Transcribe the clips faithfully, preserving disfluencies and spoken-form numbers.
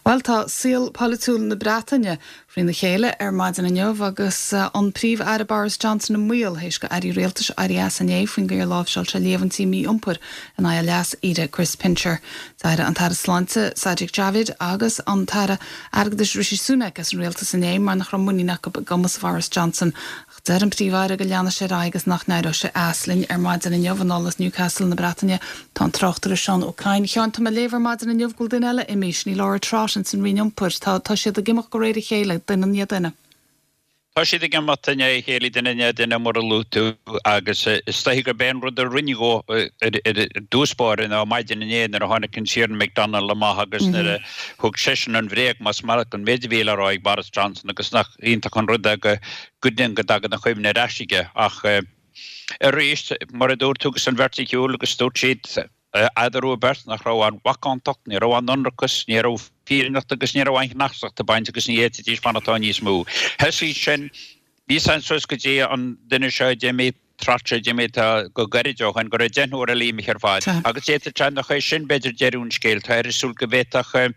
Bhuel, tá saol polaitiúil na Breataine frína chéile ar maidin inniu agus an Príomh-Aire Boris Johnson i mbaol théis do airí rialtais éirí as inné faoin gcaoi ar láimhseáil sé líomhaintí mí-iompair in aghaidh a leas-aire Chris Pincher. D'éirigh an tAire Sláinte Sajid Javid agus an tAire Airgeadais Rishi Sunak as an rialtas inné mar nach raibh muinín acu i gcumas Boris Johnson. Deir an Príomh-Aire go leanfaidh sé ar aghaidh agus nach n-éireoidh sé as. Linn ar maidin inniu anall as Newcastle na Breataine tá an tráchtaire Seán Ó Cadhain. Sheáin, tá mé ag léamh ar maidin inniu go bhfuil duine eile imithe, sin í Laura Trott in san Roinn Iompair. Tá tá siad ag imeacht de réir a chéile, duine i ndiaidh duine. Tá siad ag imeacht i ndiaidh a chéile, duine i ndiaidh duine, mar a luaigh tú, agus is dóichí gurb é an rud a rinne dhó ar dtús báire ná maidin inné nuair a tháinig an Tiarna McDonald amach agus nuair a thug seisean an bhréag, más maith leat, an méid a bhí le rá ag Boris Johnson agus nach iontach an rud é go go dtagann a chuimhne ar ais aige. Ach arís, mar a dúirt tú, agus an bheirt ar shiúl agus dúirt siad eatarthu beirt nach raibh aon mhacántacht, ní raibh aon ionracas, ní raibh fírinneacht agus ní raibh aon chneasacht ag baint agus ní fhéadfaidís fanacht ann níos mó. Thosaigh sin, bhí san suas go dtí an duine seo a d'imigh, Trott a d'imigh go gairid ó shin, go raibh deichniúr eile imithe ar fad. Agus d'fhéadfadh sé nach é sin b'fhéidir deireadh an scéil. Tá ar súil go bhféadfadh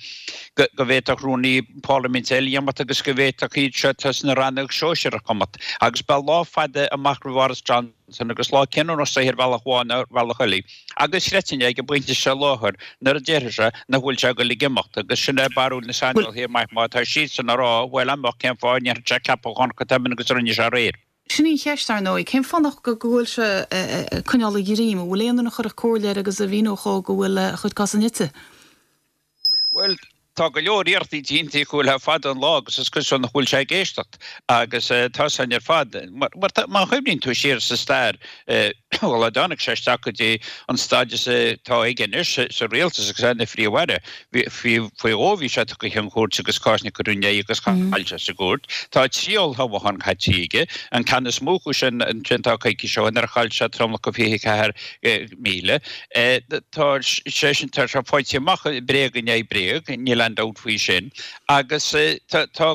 go bhféadfadh rúnaí parlaiminte eile imeacht agus go bhféadfadh iad seo atá sna rannóga sóisearacha imeacht. Agus beidh lá fada amach roimh Boris Johnson agus lá cinniúnach é ar bhealach amháin nó ar bhealach eile. Agus chreidfinn é ag an bpointe seo i láthair nuair a déarfaidh sé nach bhfuil sé ag dul ag imeacht. Agus sin é barúil na saineolaithe maith má tá siadsan ag rá, bhuel amach cén fáth a ndéanfadh sé ceapachán chomh tobann agus a rinne sé aréir. Sin í an cheist, ar ndóigh. Cén fáth nach go bhfuil sé ag coinneáil a dhroim? An bhfuil aon duine a chuirfeadh comhairle air agus a mhíneodh dhó go bhfuil a chuid cosa nite? Bhuel, tá go leor iarrachtaí déanta acu le fada an lá agus is cosúil nach bhfuil sé ag éisteacht agus tá san ar fad. Mar má chuimhníonn tú siar sa stair, bhuel, a dtáinig sé isteach go dtí an stádas atá aige anois sa rialtas agus é ina Phríomh-Aire, faoi dhó bhí sé tugtha chun cúirte agus cásanna curtha ina aghaidh agus chaill sé sa gcúirt. Tá trí olltoghchán caite aige, an ceann is mó acu sin an tríocha coicís ó shin nuair a chaill sé tromlach de fiche ceathair míle. Tá sé sin, tá sé faighte amach bréag i ndiaidh bréag, níl aon dabht faoi sin, agus tá tá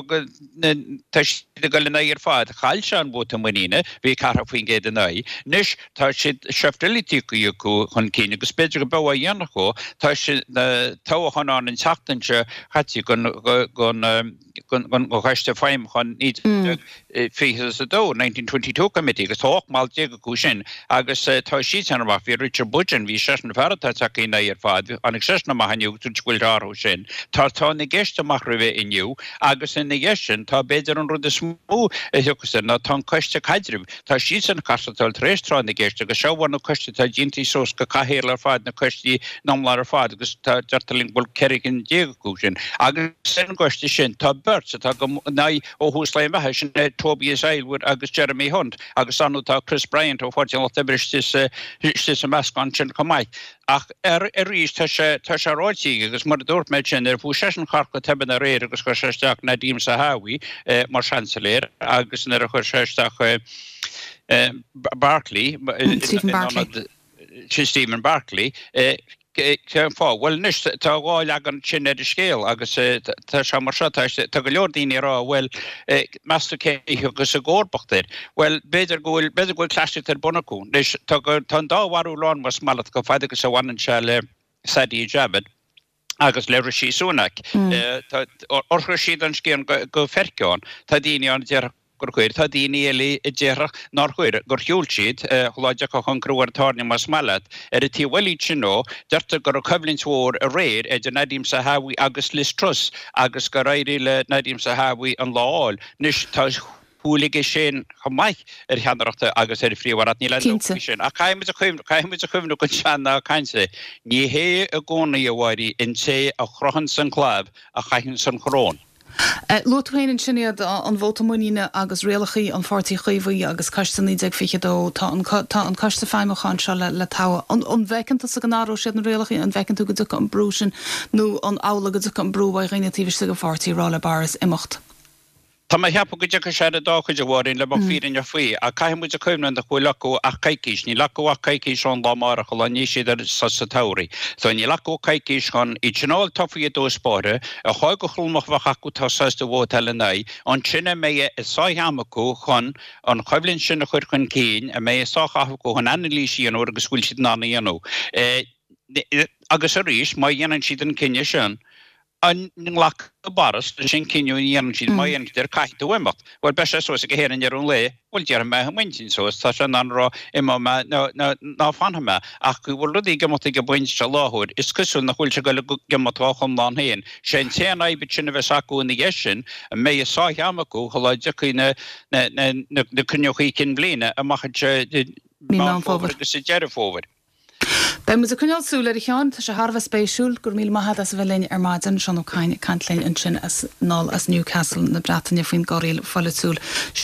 siad ag dul ina aghaidh ar fad. Chaill sé an vóta muiníne, bhí ceathracha faoin gcéad ina aghaidh. Anois tá siad seift eile tagtha acu chun cinn agus b'fhéidir go mbeidh á dhéanamh acu. Tá sé na toghcháin ann an tseachtain seo caite don Choiste Feidhmiúcháin naoi déag fiche a dó, nineteen twenty two Committee, agus tá ocht mball déag acu sin agus tá siadsan amach. Bhí Richard Budgen, bhí seisean fear atá tagtha ina aghaidh ar fad, tháinig seisean amach inniu agus dúirt go bhfuil sé orthu sin. Tá tráth na gceist amach roimhe inniu agus ina dhiaidh sin tá b'fhéidir an rud is mó a thiocfas air ná tá an Coiste Caidrimh, tá siadsan ag castáil tar éis tráth na gceist agus seo bhur na coistí atá déanta suas de chathaoirligh ar fad, na coistí iomlán ar fad agus tá, deirtear linn go bhfuil ceithre cinn déag acu sin. Agus ar an gcoiste sin tá beirt atá ina aghaidh ó thús lae a mbeatha, sin é Tobias Ellwood agus Jeremy Hunt agus ar ndóigh tá Chris Bryant ó Pháirtí an Lucht Oibre istigh sa meascán sin chomh maith. Ach arís tá sé tá sé ráite aige agus mar a dúirt mé ansin nuair a fuair seisean thart go tobann aréir agus chuir sé isteach Nadhim Zahawi mar Seansailéir agus nuair a chuir sé isteach Barclay Stephen Barclay. Stephen Barclay cén fáth? Bhuel anois tá dhá leagan sin ar an scéal agus tá sé mar seo, tá go leor daoine ag rá bhuel meas tú cé a thiocfas i gcomharbacht air? Bhuel b'fhéidir go bhfuil b'fhéidir go bhfuil cleasaíocht ar bun acu. Anois tá tá an dá bharúil ann más maith leat chomh fada agus a bhaineann sé le Sajid Javid agus le Rishi Sunak. Ar chuir siad an scian go feiceán? Tá daoine ann a déarfadh gur chuir. Tá daoine eile a déarfadh nár chuir, gur shiúil siad, lá a dtiocfadh an crú ar an tairne más maith leat. Ar an taobh eile sin nó, deirtear go raibh coimhlint mhór aréir idir Nadhim Zahawi agus Liz Truss agus gur éirigh le Nadhim Zahawi an lá a fháil. Anois tá súil aige sin chomh maith ar cheannaireacht agus ar phríomh-aireacht, níl aon dabht faoi sin. Ach caithfidh muid a chuimhneamh, caithfidh muid a chuimhneamh go sean-nath cainte, ní hé i gcónaí, a Mháirín, an té a chroitheanns an clab a chaithfeanns an choróin. Luaigh tú féin ansin iad, an vóta muiníne agus rialacha an Pháirtí Chaomhaigh agus Coiste naoi déag fiche a dó. Tá an tá an Coiste Feidhmiúcháin seo le le toghadh. An an bhfeiceann tusa go n-athróidh siad na rialacha? An bhfeiceann tú go dtiocfaidh an brú sin nó an amhlaidh go dtiocfaidh an brú ó dhaoine taobh istigh den pháirtí ag rá le Boris imeacht? Tá mé ag ceapadh go dtiocfaidh sé ar an dá chuid, a Mháirín, le bheith fírinneach faoi, ach caithfidh muid a chuimhneamh nach bhfuil acu ach coicís. Níl acu ach coicís ón lá amárach, an lá a ndéanfaidh siad ar sos an tsamhraidh. So níl acu ach coicís chun iad sin a fháil tofa i dtús báire, a chur go tromlach a bheadh acu atá sásta vótáil ina aghaidh, ansin a mbeidh a sáith ama acu chun an choimhlint sin a chur chun cinn, a mbeidh a sáith ama acu chun anailís a dhéanamh air agus go bhfuil siad in ann a dhéanamh. Agus arís, má dhéanann siad an cinneadh sin, An nglacfaidh Boris leis an cinneadh a dhéanann siad má dhéanann siad air caithfidh tú imeacht. Bhuel beidh sé suas aige féin i ndeireadh an lae, bhuel déarfaidh mé i m'intinn suas, tá sé in ann a rá imeoidh mé nó ná fanfaidh mé. Ach go bhfuil rudaí ag imeacht ag an bpointe seo láthair, is cosúil nach bhfuil sé ag dul ag imeacht dá chonlán féin. Sé an t-aon fhadhb ansin a bheas acu ina dhiaidh sin, an mbeidh a sáith ama acu shula dtiocfaidh na na na cruinniúchaí cinn bhliana amach anseo i Meán Fómhair agus i Deireadh Fómhair. Beidh muid ag coinneáil súil air a Sheáin, tá sé thar a bheith spéisiúil. Go raibh míle maith agat as a bheith linn ar maidin. Seán Ó Cadhain ag caint linn ansin as anall as Newcastle na Breataine faoin gcorraíl pholaitiúil sin.